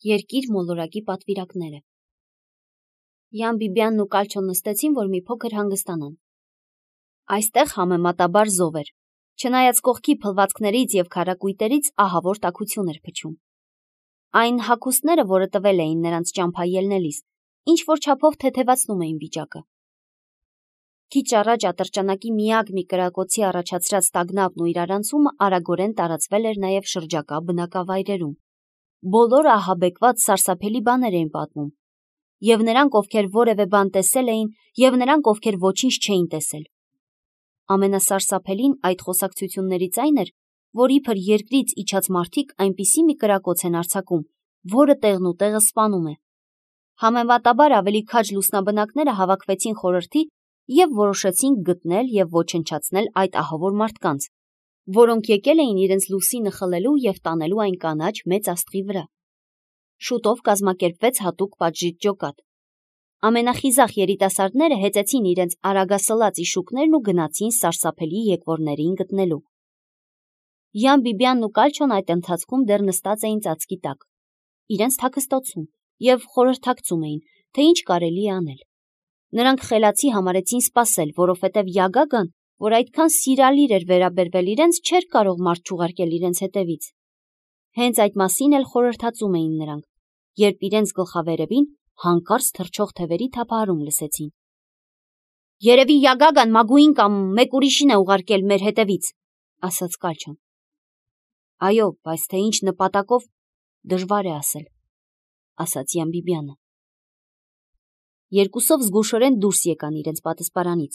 Երկիր մոլորակի պատվիրակները։ Յան Բիբյանն ու Կալչոն նստեցին, որ մի փոքր հանգստանան։ Այստեղ համեմատաբար զով էր, չնայած կողքի փլվածքներից և քարակույտերից ահավոր տաքություն էր փչում։ Այն հագուստները, որը տվել էին նրանց ճամփա ելնելիս, ինչ-որ չափով թեթևացնում էին վիճակը։ Քիչ առաջ ատրճանակի միակ մի կրակոցի առաջացրած տագնապն ու իրարանցումը արագորեն տարածվել էր նաև շրջակա բնակավայրերում։ Բոլորը ահաբեկված սարսափելի բաներ էին պատմում, և նրանք, ովքեր որևէ բան տեսել էին, և նրանք, ովքեր ոչինչ չէին տեսել։ Ամենասարսափելին այդ խոսակցություններից այն էր, որ իբր երկրից իջած մարդիկ այնպիսի մի կրակոց են արձակում, որը տեղնուտեղը սպանում է։ Համեմատաբար ավելի քաջ լուսնաբնակները հավաքվեցին խորհրդի և որոշեցին գտնել և ոչնչացնել այդ ահավոր մարդկանց, որոնք եկել էին իրենց լուսինը խլելու և տանելու այն կանաչ մեծ աստղի վրա։ Շուտով կազմակերպվեց հատուկ պատժիչ ջոկատ։ Ամենախիզախ երիտասարդները հեծեցին իրենց արագասլաց իշուկներն ու գնացին սարսափելի եկվորներին գտնելու։ Յան Բիբյանն ու Կալչոն այդ ընթացքում դեռ նստած էին ծածկի տակ, իրենց թաքստոցում, և խորհրդակցում էին, թե ինչ կարելի է անել։ Նրանք խելացի համարեցին սպասել, որովհետև Յագագան, որ այդքան սիրալիր էր վերաբերվել իրենց, չէր կարող մարդ չուղարկել իրենց հետևից։ Հենց այդ մասին էլ խորհրդածում էին նրանք, երբ իրենց գլխավերևին հանկարծ թռչող թևերի թափահարում լսեցին։ «Երևի Յագագան Մագուին կամ մեկ ուրիշին է ուղարկել մեր հետևից», ասաց Կալչոն։ «Այո, բայց թե ինչ նպատակով, դժվար է ասել», ասաց Յան Բիբյանը։ Երկուսով զգուշորեն դուրս եկան իրենց պատասպարանից,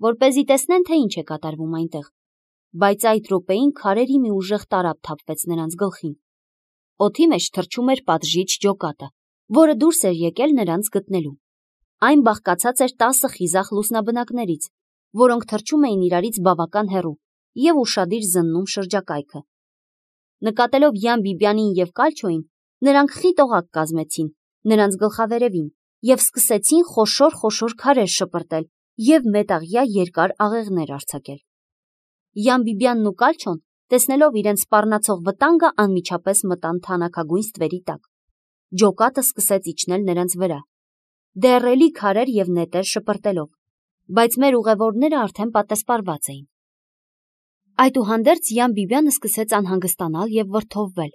որպեսզի տեսնեն, թե ինչ է կատարվում այնտեղ, բայց այդ րոպեին քարերի մի ուժեղ տարափ թափվեց նրանց գլխին։ Օդի մեջ թռչում էր պատժիչ ջոկատը, որը դուրս էր եկել նրանց գտնելու։ Այն բաղկացած էր 10 խիզախ լուսնաբնակներից, որոնք թռչում էին իրարից բավական հեռու և ուշադիր զննում շրջակայքը։ Նկատելով Յան Բիբյանին և Կալչոյին, նրանք խիտ օղակ կազմեցին նրանց գլխավերևին և սկսեցին խոշոր քարեր շպրտել և մետաղյա երկար աղեղներ արձակել։ Յան Բիբյանն ու Կալչոն, տեսնելով իրենց սպառնացող վտանգը, անմիջապես մտան թանաքագույն ստվերի տակ։ Ջոկատը սկսեց իջնել նրանց վրա, դեռ քարեր և նետեր շպրտելով, բայց մեր ուղևորները արդեն պատասպարված էին։ Այդուհանդերձ Յան Բիբյանը սկսեց անհանգստանալ և վրդովվել։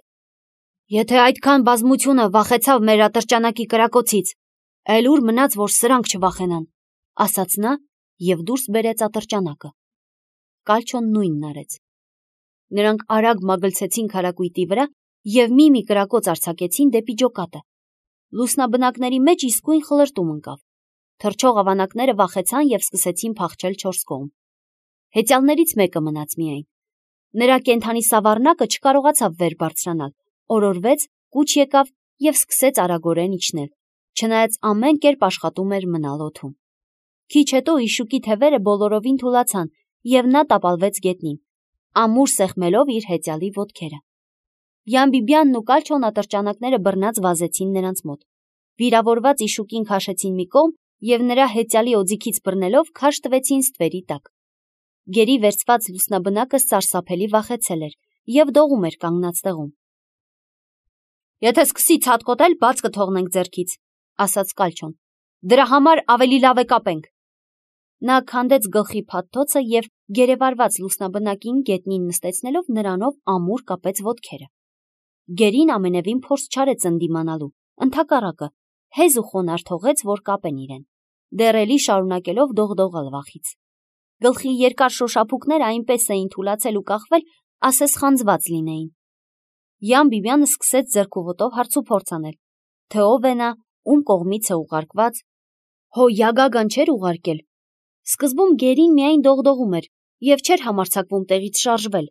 «Եթե այդքան բազմությունը վախեցավ մեր ատրճանակի կրակոցից, էլ ուր մնաց, որ սրանք չվախենան», ասաց նա և դուրս բերեց ատրճանակը։ Կալչոն նույնն արեց։ Նրանք արագ մագլցեցին քարակույտի վրա և մի կրակոց արձակեցին դեպի ջոկատը։ Լուսնաբնակների մեջ իսկույն խլրտում ընկավ։ Թռչող ավանակները վախեցան և սկսեցին փախչել 4 կողմ։ Հեծյալներից մեկը մնաց միայն։ Նրա կենդանի սավառնակը չկարողացավ վեր բարձրանալ, օրորվեց, կուչ եկավ և սկսեց արագորեն իջնել, չնայած ամեն կերպ աշխատում էր մնալ օդում։ Քիչ հետո իշուկի թևերը բոլորովին թուլացան, և նա տապալվեց գետնին, ամուր սեղմելով իր հեծյալի ոտքերը։ Յան Բիբյանն ու Կալչոն ատրճանակները բռնած վազեցին նրանց մոտ։ Վիրավորված իշուկին քաշեցին մի կողմ և նրա հեծյալի օձիքից բռնելով քաշ տվեցին ստվերի տակ։ Գերի վերցված լուսնաբնակը սարսափելի վախեցել էր և դողում էր կանգնած տեղում։ «Եթե սկսի ցատկոտել, բաց կթողնենք ձեռքից», ասաց Կալչոն։ «Դրա համար ավելի լավ է կապենք»։ Նա քանդեց գլխի փաթթոցը և գերեվարված լուսնաբնակին գետնին նստեցնելով նրանով ամուր կապեց ոտքերը։ Գերին ամենևին փորձ չարեց ընդդիմանալու, ընդհակառակը, հեզ ու խոնարհ թողեց, որ կապեն իրեն, դեռ շարունակելով դողդողալ վախից։ Գլխի երկար շոշափուկները այնպես էին թուլացել ու կախվել, ասես խանձված լինեին։ Յան Բիբյանը սկսեց ձեռքուոտով հարցուփորձ անել, թե ով է նա, ում կողմից է ուղարկված։ Հո Յագագան չէր ուղարկել։ Սկզբում գերին միայն դողդողում էր և չէր համարձակվում տեղից շարժվել,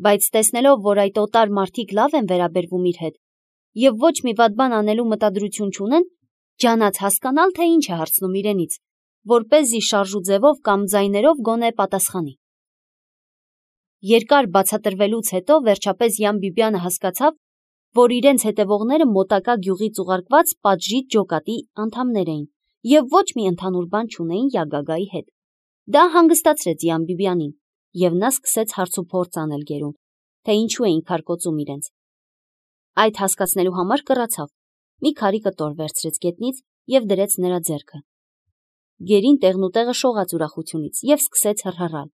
բայց տեսնելով, որ այդ օտար մարդիկ լավ են վերաբերվում իր հետ և ոչ մի վատ բան անելու մտադրություն չունեն, ջանաց հասկանալ, թե ինչ է հարցնում իրենից, որպեսզի շարժու ձևով կամ ձայներով գոնե պատասխանի։ Երկար բացատրվելուց հետո վերջապես Յան Բիբյանը հասկացավ, որ իրենց հետևողները մոտակա գյուղից ուղարկված պատժիչ ջոկատի անդամներ էին և ոչ մի ընդհանուր բան չունեին Յագագայի հետ։ Դա հանգստացրեց Յան Բիբյանին, և նա սկսեց հարցուփորձ անել գերուն, թե ինչու էին քարկոծում իրենց։ Այդ հասկացնելու համար կռացավ, մի քարի կտոր վերցրեց գետնից և դրեց նրա ձեռքը։ Գերին տեղնուտեղը շողաց ուրախությունից և սկսեց հռհռալ։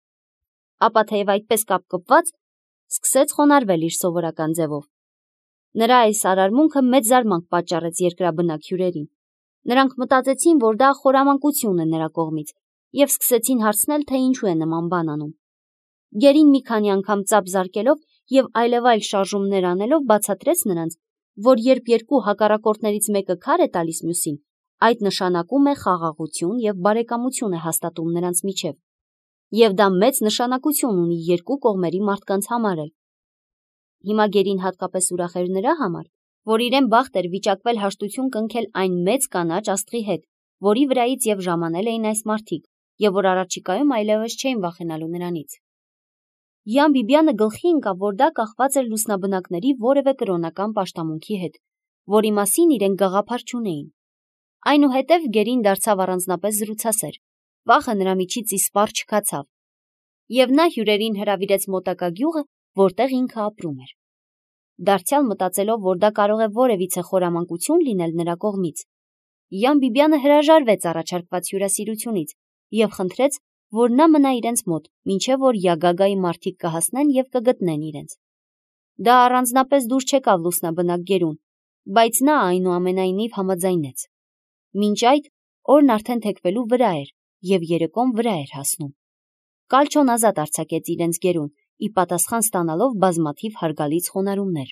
Ապա թեև այդպես կապկպված, սկսեց խոնարհվել իր սովորական ձևով։ Նրա այս արարմունքը մեծ զարմանք պատճառեց երկրաբնակ հյուրերին։ Նրանք մտածեցին, որ դա խորամանկություն է նրա կողմից և սկսեցին հարցնել, թե ինչու է նման բան անում։ Գերին մի քանի անգամ ծափ զարկելով և այլևայլ շարժումներ անելով բացատրեց նրանց, որ երբ երկու հակառակորդներից մեկը քար է տալիս մյուսին, այդ նշանակում է խաղաղություն և բարեկամություն է հաստատում նրանց միջև, և դա մեծ նշանակություն ունի երկու կողմերի մարդկանց համար էլ։ Հիմա գերին հատկապես ուրախ էր նրա համար, որ իրեն բախտ էր վիճակվել հաշտություն կնքել այն մեծ կանաչ աստղի հետ, որի վրայից և ժամանել էին այս մարդիկ, և որ առաջիկայում այլևս չէին վախենալու նրանից։ Յան Բիբյանը գլխի ընկավ, որ դա կախված էր լուսնաբնակների որևէ կրոնական պաշտամունքի հետ, որի մասին իրենք գաղափար չունեին։ Այնուհետև գերին դարձավ առանձնապես զրուցասեր, վախը նրա միջից իսպառ չքացավ, և նա հյուրերին հրավիրեց մոտակա գյուղը, որտեղ ինքը ապրում էր։ Դարձյալ մտածելով, որ դա կարող է որևիցե խորամանկություն լինել նրա կողմից, Յան Բիբյանը հրաժարվեց առաջարկված հյուրասիրությունից և խնդրեց, որ նա մնա իրենց մոտ, մինչև որ Յագագայի մարդիկ կհասնեն և կգտնեն իրենց։ Դա առանձնապես դուր չեկավ լուսնաբնակ գերուն, բայց նա այնուամենայնիվ համաձայնեց։ Մինչ այդ օրն արդեն թեքվելու վրա էր և երեկոն վրա էր հասնում։ Կալչոն ազատ արձակեց իրենց գերուն, ի պատասխան ստանալով բազմաթիվ հարգալից խոնարհումներ։